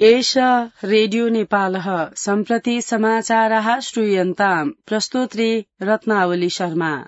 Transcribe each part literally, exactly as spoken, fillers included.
एष रेडियो नेपालः सम्प्रति समाचाराः श्रूयन्ताम् प्रस्तोत्री रत्नावली शर्मा।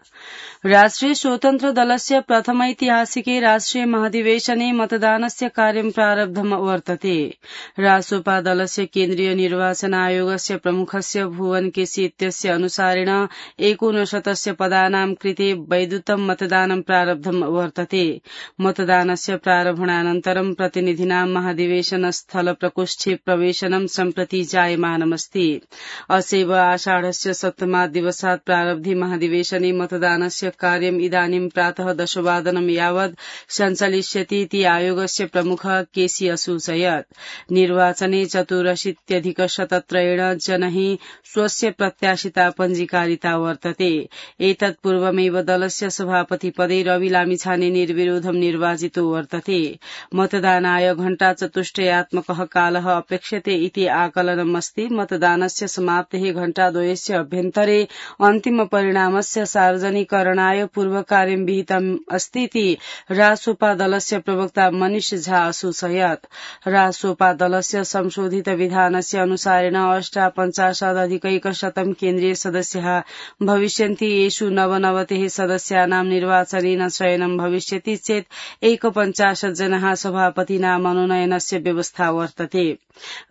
राष्ट्रिय स्वतन्त्र दलस्य प्रथमैतिहासिके राष्ट्रिय महाधिवेशने मतदानस्य कार्यं प्रारब्धम् वर्तते। रासोपा दलस्य केन्द्रीय निर्वाचन आयोगस्य प्रमुखस्य भुवन केसी इत्यस्य अनुसारेण एकोनशतस्य पदानां कृते वैद्युतं मतदानं प्रारब्धम् वर्तते। मतदानस्य प्रारम्भानन्तरं प्रतिनिधीनां महाधिवेशन स्थल प्रकोष्ठे प्रवेशनं सम्प्रति जायमानमस्ति। असैव आषाढस्य सप्तमात् दिवसात् प्रारब्धे महाधिवेशने मतदानस्य कार्यम् इदानीं प्रातः दशवादनं यावत् सञ्चालिष्यति इति आयोगस्य प्रमुखः केसी असूचयत्। निर्वाचने चतुरशीत्यधिकशतत्रयेण जनैः स्वस्य प्रत्याशिता पञ्जीकारिता वर्तते। एतत् पूर्वमेव दलस्य सभापति पदे रवि लामिछाने निर्विरोधं निर्वाचितो वर्तते। मतदानाय घण्टाचतुष्टयात्मकः कालः अपेक्ष्यते इति आकलनमस्ति। मतदानस्य समाप्तेः घण्टाद्वयस्य अभ्यन्तरे अन्तिम परिणामस्य सार्वजनिकरणाय पूर्वकार्यं विहितम् अस्ति इति रासोपा दलस्य प्रवक्ता मनीष झा असूचयत्। रासोपा दलस्य संशोधित विधानस्य अनुसारेण अष्टापञ्चाशदधिकैकशतं केन्द्रीय सदस्याः भविष्यन्ति। येषु नवनवतिः सदस्यानां निर्वाचनेन चयनं भविष्यति चेत् एकपञ्चाशत् जनाः सभापतिना मनोनयनस्य व्यवस्था वर्तते।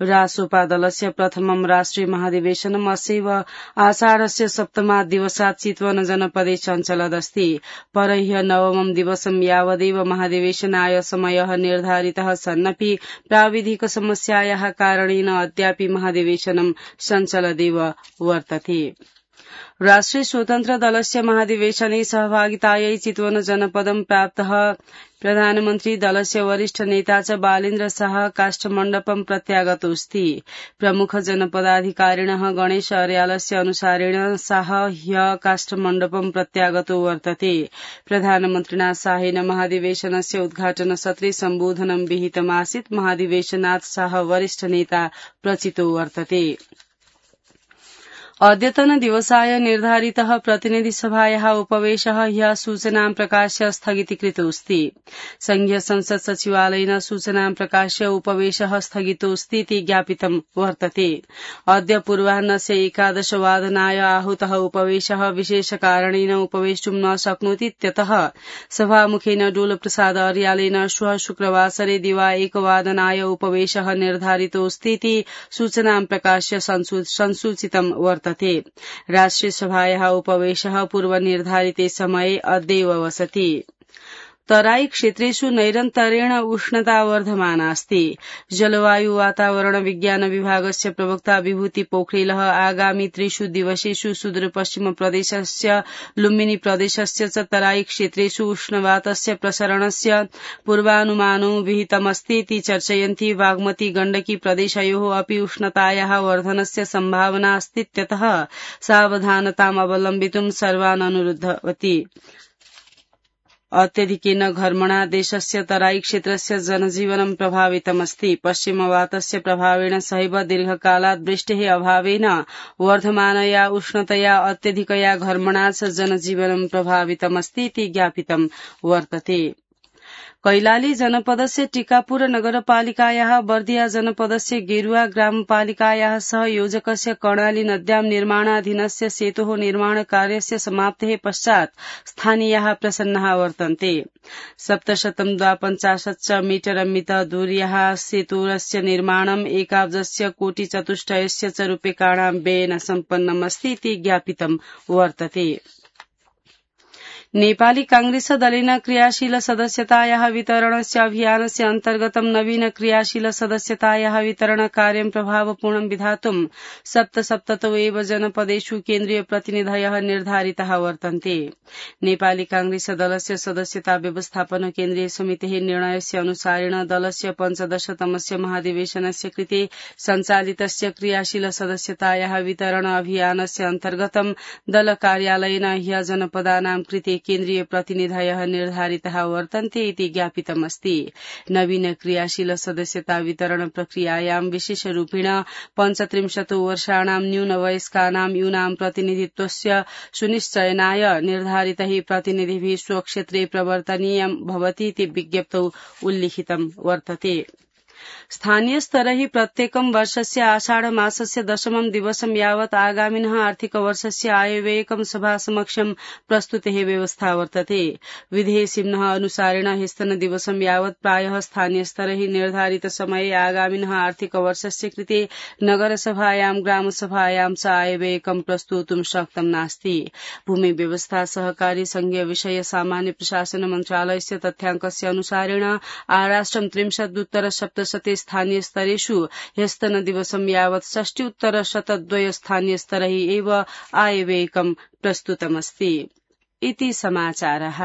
रासोपा दलस्य प्रथमं राष्ट्रिय महाधिवेशनम् असैव आषाढस्य सप्तमात् दिवसात् चितवन जनपदे सञ्चलदस्ति। परह्य नवमं दिवसं यावदेव महाधिवेशनाय समयः निर्धारितः सन्नपि प्राविधिक समस्यायाः कारणेन अद्यापि महाधिवेशनं सञ्चलदेव वर्तते। राष्ट्रिय स्वतन्त्र दलस्य महाधिवेशने सहभागितायै चितवन जनपदं प्राप्तः प्रधानमन्त्री दलस्य वरिष्ठ नेता च बालेन्द्र शाह काष्ठमण्डपं प्रत्यागतोऽस्ति। प्रमुख जनपदाधिकारिणः गणेश अर्यालस्य अनुसारेण शाह ह्यः काष्ठमण्डपं प्रत्यागतो वर्तते। प्रधानमन्त्रिणा शाहेन महाधिवेशनस्य उद्घाटन सत्रे सम्बोधनं विहितमासीत्। महाधिवेशनात् शाह वरिष्ठ नेता प्रचितो वर्तते। अद्यतन दिवसाय निर्धारितः प्रतिनिधिसभायाः उपवेशः ह्यः सूचनां प्रकाश्य स्थगितीकृतोऽस्ति। संघीय संसद सचिवालयेन सूचनां प्रकाश्य उपवेशः स्थगितोऽस्ति इति ज्ञापितं वर्तते। अद्य पूर्वाह्नस्य एकादशवादनाय आहूतः उपवेशः विशेषकारणेन उपवेष्टुं न शक्नोति इत्यतः सभामुखेन डोलप्रसाद अर्यालेन श्वः शुक्रवासरे दिवा एकवादनाय उपवेशः निर्धारितोऽस्ति इति सूचनां प्रकाश्य संसूचितं वर्तते। राष्ट्रिय सभायाः उपवेशः पूर्वनिर्धारिते समये अद्यैव वसति। तराई क्षेत्रेषु नैरन्तर्येण उष्णता वर्धमाना अस्ति। जलवायु वातावरण विज्ञान विभागस्य प्रवक्ता विभूति पोखरेलः आगामी त्रिषु दिवसेषु सुदूरपश्चिम प्रदेशस्य लुम्बिनी प्रदेशस्य च तराई क्षेत्रेषु उष्णवातस्य प्रसरणस्य पूर्वानुमानो विहितमस्ति इति चर्चयन्ति। बागमती गण्डकी प्रदेशयोः अपि उष्णतायाः वर्धनस्य सम्भावना अस्तीत्यतः सावधानताम् अवलम्बितुं सर्वान् अनुरुद्धवती। अत्यधिकेन घर्मणा देशस्य तराई क्षेत्रस्य जनजीवनं प्रभावितमस्ति। पश्चिमवातस्य प्रभावेण सहैव दीर्घकालात् वृष्टेः अभावेन वर्धमानया उष्णतया अत्यधिकया घर्मणा च जनजीवनं प्रभावितमस्ति इति ज्ञापितं वर्तते। कैलाली जनपदस्य टीकापुर नगरपालिकायाः बर्दिया जनपदस्य गेरुवा ग्रामपालिकायाः सहयोजकस्य कर्णाली नद्यां निर्माणाधीनस्य सेतोः निर्माण कार्यस्य समाप्तेः पश्चात् स्थानीयाः प्रसन्नाः वर्तन्ते। सप्तशतं द्वापञ्चाशत् मीटर मित दूर्याः सेतोरस्य निर्माणम् एकाब्जस्य कोटिचतुष्टयस्य च रूप्यकाणां व्ययेन सम्पन्नमस्ति इति ज्ञापितं वर्तते। नेपाली कांग्रेस दलेन क्रियाशील सदस्यतायाः वितरणस्य अभियानस्य अन्तर्गतं नवीन क्रियाशील सदस्यतायाः वितरण कार्यं प्रभावपूर्णं विधातुं सप्तसप्ततौ एव जनपदेषु केन्द्रीय प्रतिनिधयः निर्धारिताः वर्तन्ते। नेपाली कांग्रेस दलस्य सदस्यता व्यवस्थापन केन्द्रीय समितेः निर्णयस्य अनुसारेण दलस्य पञ्चदशतमस्य महाधिवेशनस्य कृते सञ्चालितस्य क्रियाशील सदस्यतायाः वितरण अभियानस्य अन्तर्गतं दल कार्यालयेन ह्यः जनपदानां कृते केन्द्रीय प्रतिनिधयः निर्धारिताः वर्तन्ते इति ज्ञापितमस्ति। नवीन क्रियाशील सदस्यता वितरण प्रक्रियायां विशेषरूपेण पञ्चत्रिंशतो वर्षाणां न्यूनवयस्कानां यूनां प्रतिनिधित्वस्य सुनिश्चयनाय निर्धारितैः प्रतिनिधिभिः स्वक्षेत्रे प्रवर्तनीयं भवति इति विज्ञप्तौ उल्लिखितं वर्तते। स्थानीय स्तरै प्रत्येकं वर्षस्य आषाढ मासस्य दशमं दिवसं यावत् आगामिनः आर्थिकवर्षस्य आयव्ययकं सभासमक्षं प्रस्तुतेः व्यवस्था वर्तते। विधेयसिम्नः अनुसारेण ह्यस्तनदिवसं यावत् प्रायः स्थानीयस्तरै निर्धारित समये आगामिनः आर्थिकवर्षस्य कृते नगरसभायां ग्रामसभायां च आयव्ययकं प्रस्तोतुं शक्तं नास्ति। भूमि व्यवस्था सहकारी संघीय विषय सामान्य प्रशासन मन्त्रालयस्य तथ्याङ्कस्य अनुसारेण आराष्ट्रं त्रिंशदुत्तर सप्तशते स्थानीय स्तरेषु ह्यस्तनदिवसं यावत् षष्ट्युत्तर शतद्वय स्थानीय स्तरै एव आयव्ययकं प्रस्तुतमस्ति। इति समाचारः।